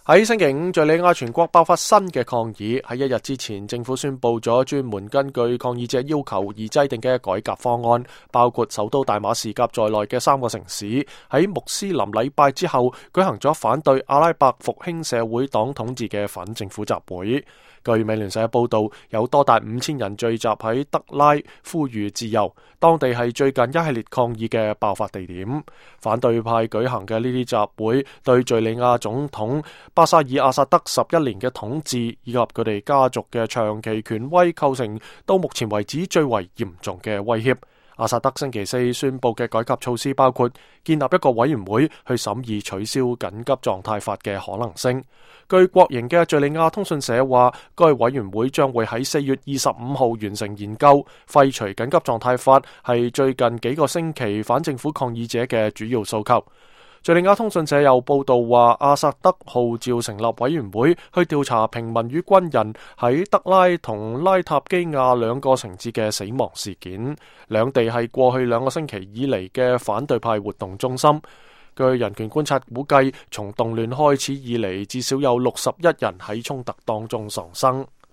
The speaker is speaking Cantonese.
喺星期五，敘利亞全國爆發新嘅抗議。喺一日之前，政府宣布咗專門根據抗議者要求而制定嘅改革方案，包括首都大馬士革在內嘅3個城市喺穆斯林禮拜之後舉行咗反對阿拉伯復興社會黨統治嘅反政府集會。據美聯社報道，有多達5000人聚集喺德拉，呼籲自由。當地係最近一系列抗議嘅爆發地點。反對派舉行嘅呢啲集會，對敘利亞總統巴沙爾阿薩德11年嘅統治以及佢哋家族嘅長期權威構成到目前為止最為嚴重嘅威脅。阿薩德星期四宣布嘅改革措施包括建立一個委員會去審議取消緊急狀態法嘅可能性。據國營嘅敘利亞通訊社話，該委員會將會喺4月25號完成研究。廢除緊急狀態法係最近幾個星期反政府抗議者嘅主要訴求。敘利亞通訊社又報道話，阿薩德號召成立委員會去調查平民與軍人喺德拉同拉塔基亞2個城市嘅死亡事件，兩地係過去2個星期以嚟嘅反對派活動中心。據人權觀察估計，從動亂開始以嚟，至少有61人喺衝突當中喪生。